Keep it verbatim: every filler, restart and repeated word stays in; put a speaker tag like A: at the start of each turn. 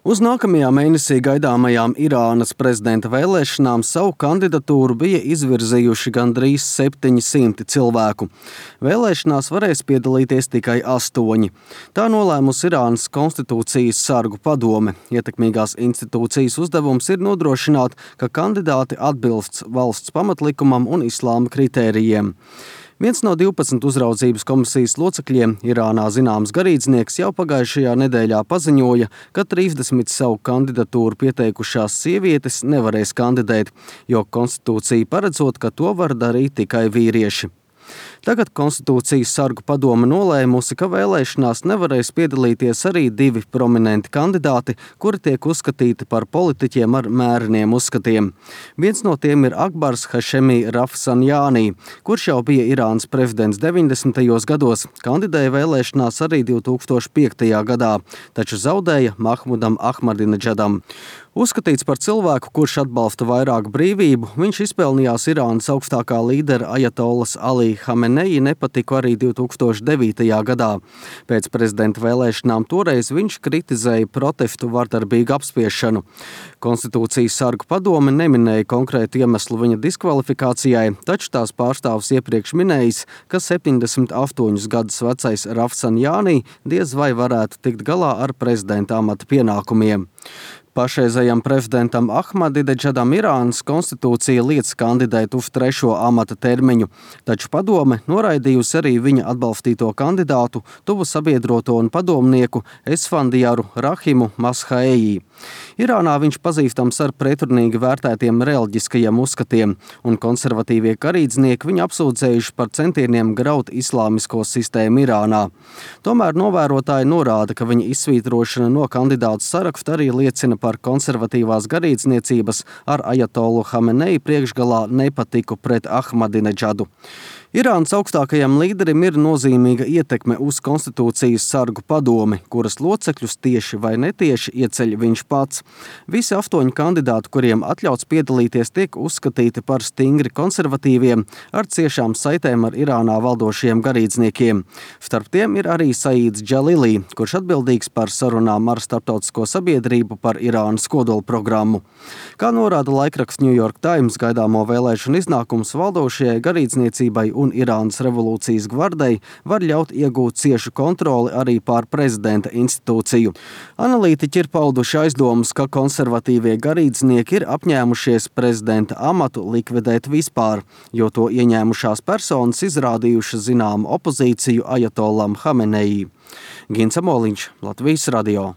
A: Uz nākamajā mēnesī gaidāmajām Irānas prezidenta vēlēšanām savu kandidatūru bija izvirzījuši gandrīz septiņi simti cilvēku. Vēlēšanās varēs piedalīties tikai astoņi. Tā nolēmusi Irānas konstitūcijas sargu padome. Ietekmīgās institūcijas uzdevums ir nodrošināt, ka kandidāti atbilst valsts pamatlikumam un islāma kritērijiem. Viens no divpadsmit uzraudzības komisijas locekļiem, Irānā zināms garīdznieks, jau pagājušajā nedēļā paziņoja, ka trīsdesmit savu kandidatūru pieteikušās sievietes nevarēs kandidēt, jo konstitūcija paredzot, ka to var darīt tikai vīrieši. Tagad konstitūcijas sargu padome nolēmusi, ka vēlēšanās nevarēs piedalīties arī divi prominenti kandidāti, kuri tiek uzskatīti par politiķiem ar mēreniem uzskatiem. Viens no tiem ir Akbars Hašemī Rafsanjānī, kurš jau bija Irānas prezidents deviņdesmitajos gados, kandidēja vēlēšanās arī divi tūkstoši piektajā gadā, taču zaudēja Mahmudam Ahmadineģadam. Uzskatīts par cilvēku, kurš atbalsta vairāk brīvību, viņš izpelnījās Irānas augstākā līdera Ajatolas Alī Hameneji nepatiku arī divi tūkstoši devītajā gadā. Pēc prezidenta vēlēšanām toreiz viņš kritizēja protestu vardarbīgu apspiešanu. Konstitūcijas sargu padome neminēja konkrētu iemeslu viņa diskvalifikācijai, taču tās pārstāvs iepriekš minējis, ka septiņdesmit astoņus gadus vecais Rafsanjānī diez vai varētu tikt galā ar prezidenta amata pienākumiem. Pašreizējam prezidentam Ahmadineģadam Irānas konstitūcija liedz kandidēt uz trešo amata termiņu, taču padome noraidījusi arī viņa atbalstīto kandidātu, tuvu sabiedroto un padomnieku Esfandijaru Rahimu Mashaeji. Irānā viņš pazīstams ar pretrunīgi vērtētiem reliģiskajiem uzskatiem, un konservatīvie garīdznieki viņu apsūdzējuši par centieniem graut islāmisko sistēmu Irānā. Tomēr novērotāji norāda, ka viņa izsvītrošana no kandidātu saraksta arī liecina par konservatīvās garīdzniecības ar Ajatolu Hameneji priekšgalā nepatiku pret Ahmadineģadu. Irānas augstākajam līderim ir nozīmīga ietekme uz konstitūcijas sargu padomi, kuras locekļus tieši vai netieši ieceļ viņš pats. Visi astoņi kandidāti, kuriem atļauts piedalīties, tiek uzskatīti par stingri konservatīviem ar ciešām saitēm ar Irānā valdošiem garīdzniekiem. Starp tiem ir arī Saīds Džalilī, kurš atbildīgs par sarunām ar starptautisko sabiedrību par Irānas kodolprogrammu. Kā norāda laikraksts New York Times, gaidāmo vēlēšanu iznākums valdošajai garīdzniecībai un Irānas revolūcijas gvardei var ļaut iegūt ciešu kontroli arī pār prezidenta institūciju. Analītiķi ir pauduši aizdomas, ka konservatīvie garīdznieki ir apņēmušies prezidenta amatu likvidēt vispār, jo to ieņēmušās personas izrādījušas zināmu opozīciju Ajatolam Hameneji. Gins Amoliņš, Latvijas radio.